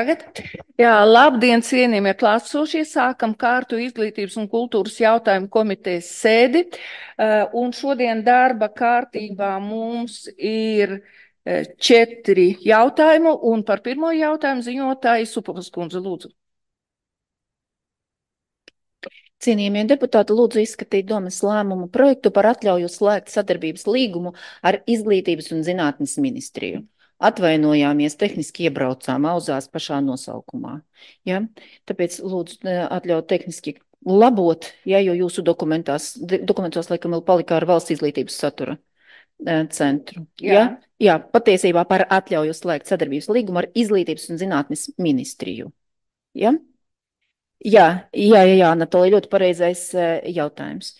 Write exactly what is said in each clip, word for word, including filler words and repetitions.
Tagad, jā, labdien, cienījamie klātsošie, sākam kārtu izglītības un kultūras jautājumu komitejas sēdi, uh, un šodien darba kārtībā mums ir uh, četri jautājumu, un par pirmo jautājumu ziņotāju Supovas kundze, lūdzu. Cienījamie deputāti, lūdzu izskatīt domas lēmumu projektu par atļauju slēgt sadarbības līgumu ar Izglītības un zinātnes ministriju. Atvainojāmies, tehniski iebraucām auzās pašā nosaukumā. Ja? Tāpēc lūdzu atļaut tehniski labot, ja, jo jūsu dokumentās, dokumentos laikam vēl palika ar valsts izglītības satura centru. Jā. Ja? Jā, patiesībā par atļauju slēgt sadarbības līgumu ar Izglītības un zinātnes ministriju. Ja? Jā, jā, jā, jā, Anatolija, ļoti pareizais jautājums.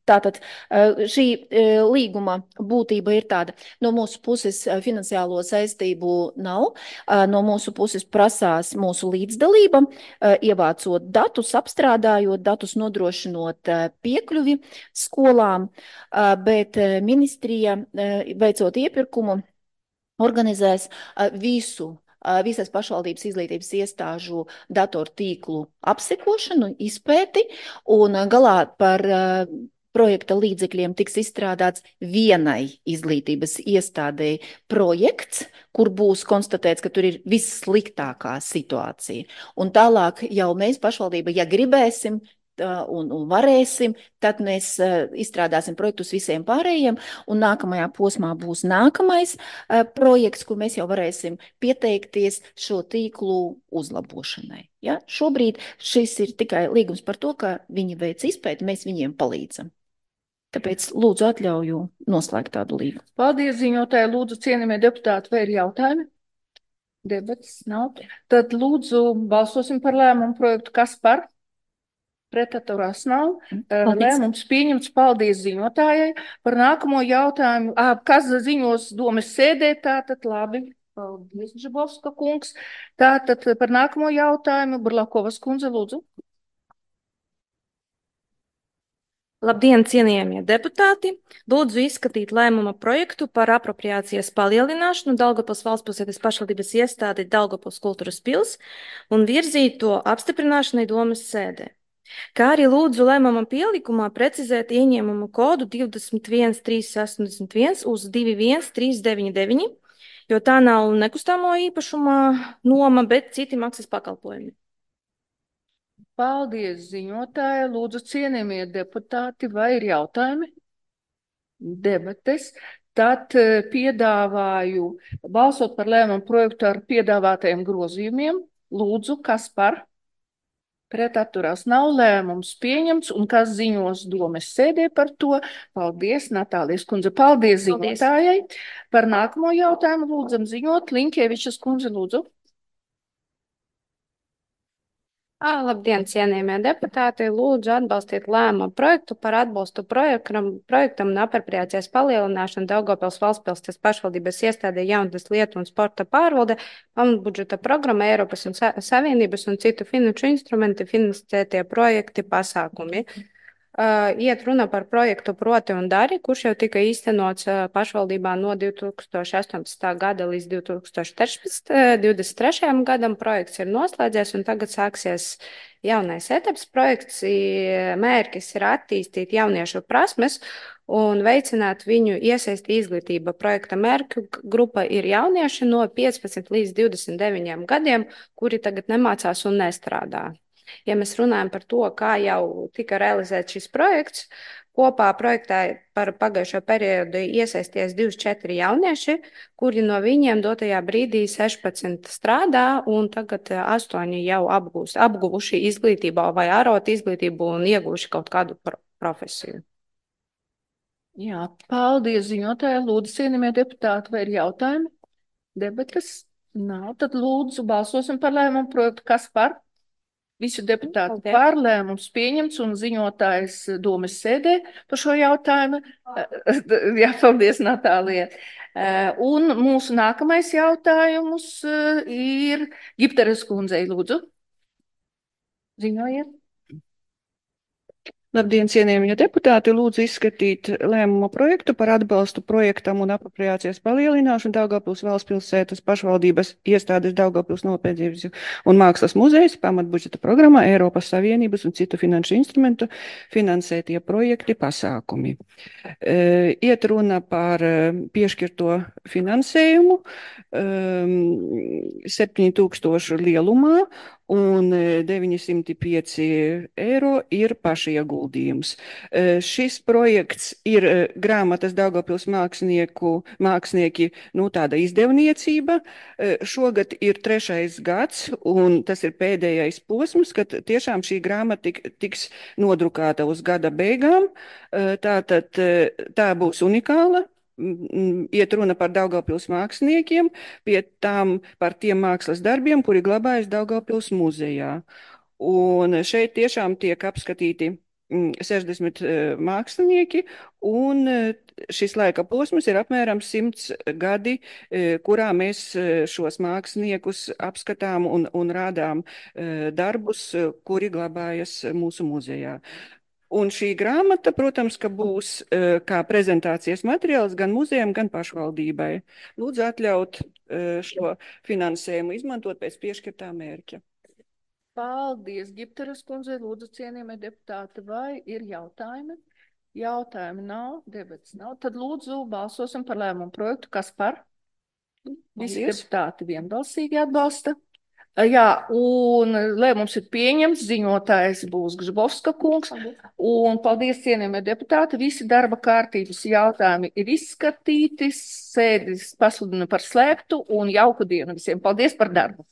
Tātad šī līguma būtība ir tāda, no mūsu puses finansiālo saistību nav, no mūsu puses prasās mūsu līdzdalība, ievācot datus, apstrādājot datus, nodrošinot piekļuvi skolām, bet ministrija, veicot iepirkumu, organizēs visu visas pašvaldības izglītības iestāžu datortīklu apsekošanu, izpēti, un galā par projekta līdzekļiem tiks izstrādāts vienai izglītības iestādēji projekts, kur būs konstatēts, ka tur ir vissliktākā situācija. Un tālāk jau mēs pašvaldība, ja gribēsim, Un, un varēsim, tad mēs uh, izstrādāsim projektus visiem pārējiem, un nākamajā posmā būs nākamais uh, projekts, kur mēs jau varēsim pieteikties šo tīklu uzlabošanai. Ja? Šobrīd šis ir tikai līgums par to, ka viņi veic izpēti, mēs viņiem palīdzam. Tāpēc lūdzu atļauju noslēgt tādu līgumu. Paldies, ziņotāji, lūdzu, cienījamie deputāti, vai ir jautājumi? Debats nav. Tad lūdzu balsosim par lēmumu projektu, kas par? Pretatturās nav. Lēmums pieņemts. Paldies ziņotājai. Par nākamo jautājumu, à, kas ziņos domas sēdē, tātad labi. Paldies, Žabovska kungs. Tātad par nākamo jautājumu, Burlakovas kundze, lūdzu. Labdien, cienījamie deputāti! Lūdzu izskatīt lēmuma projektu par apropriācijas palielināšanu Daugavpils valstspilsētas pašvaldības iestādi Daugavpils kultūras pils un virzīt to apstiprināšanai domas sēdē. Kā arī lūdzu lēmuma pielikumā precizēt ieņēmumu kodu divdesmit viens trīs astoņdesmit viens uz divi viens trīs deviņi deviņi, jo tā nav nekustamo īpašuma noma, bet citi maksas pakalpojumi. Paldies, ziņotāja. Lūdzu, cienījamie deputāti, vai ir jautājumi? Debates. Tad piedāvāju balsot par lēmumu projektu ar piedāvātajiem grozījumiem. Lūdzu, kas par? Pretatturās nav, lēmums pieņemts, un kas ziņos domas sēdē par to? Paldies, Natālijas kundze. Paldies ziņotājai. Par nākamo jautājumu lūdzam ziņot. Linkievičas kundze, lūdzu. À, labdien, cienījamie deputāti! Lūdzu atbalstīt lēmumu projektu par atbalstu projektam, projektam un apropriācijas palielināšanu Daugavpils valstspilsētas pašvaldības iestādē jaunatnes lietu un sporta pārvalde, pamatbudžeta programma Eiropas un Savienības un citu finanšu instrumenti finansētie projekti pasākumi. Uh, iet runa par projektu Proti un Dari, kurš jau tika īstenots uh, pašvaldībā no divi tūkstoši astoņpadsmitā gada līdz divi tūkstoši divdesmit trešajam gadam. Projekts ir noslēdzies un tagad sāksies jaunais etaps. Projekts mērķis ir attīstīt jauniešu prasmes un veicināt viņu iesaisti izglītība. Projekta mērķu grupa ir jaunieši no piecpadsmit līdz divdesmit deviņiem gadiem, kuri tagad nemācās un nestrādā. Ja mēs runājam par to, kā jau tika realizēts šis projekts, kopā projektā par pagājušo periodu iesaisties divdesmit četri jaunieši, kuri no viņiem dotajā brīdī sešpadsmit strādā un tagad astoņi jau apgūst, apguvuši izglītību vai ārot izglītību un ieguvuši kaut kādu profesiju. Jā, paldies ziņotāji. Lūdzu, cienījamie deputāti, vai ir jautājumi? Debatas nav, tad lūdzu balsosim par lēmumu projektu, kas par? Visu deputātu Paldies. pārlēmums pieņemts un ziņotājs domas sēdē par šo jautājumu. Jā, paldies, Natālija. Un mūsu nākamais jautājums ir Gipteres kundzei, lūdzu. Ziņojiet. Labdien, cienījamie deputāti! Lūdzu izskatīt lēmuma projektu par atbalstu projektam un apropriācijas palielināšanu Daugavpils valsts pilsētas pašvaldības iestādes Daugavpils Nopietnības un mākslas muzejs pamatbudžeta programmā Eiropas Savienības un citu finanšu instrumentu finansētie projekti pasākumi. E, iet runa par piešķirto finansējumu um, septiņi tūkstoši lielumā, un deviņi simti pieci eiro ir pašieguldījums. Šis projekts ir grāmatas Daugavpils mākslinieku, mākslinieki, nu tāda izdevniecība. Šogad ir trešais gads, un tas ir pēdējais posms, kad tiešām šī grāmata tik, tiks nodrukāta uz gada beigām. Tātad tā būs unikāla. Iet runa par Daugavpils māksliniekiem, pie tām par tiem mākslas darbiem, kuri glabājas Daugavpils muzejā. Un šeit tiešām tiek apskatīti sešdesmit mākslinieki, un šis laika posms ir apmēram simts gadi, kurā mēs šos māksliniekus apskatām un, un rādām darbus, kuri glabājas mūsu muzejā. Un šī grāmata, protams, ka būs uh, kā prezentācijas materiāls gan muzejam, gan pašvaldībai. Lūdzu atļaut uh, šo finansējumu izmantot pēc piešķirtā mērķa. Paldies, Gipteres kundze. Lūdzu, cienījamie deputāti, vai ir jautājumi? Jautājumi nav, debats nav. Tad lūdzu balsosim par lēmumu projektu. Kas par? Visi deputāti vienbalsīgi atbalsta. Jā, un lēmums ir pieņemts, ziņotājs būs Gžbovska kungs, un paldies, cienījamie deputāti, visi darba kārtības jautājumi ir izskatīti, sēdis pasludina par slēgtu, un jauku dienu visiem. Paldies par darbu!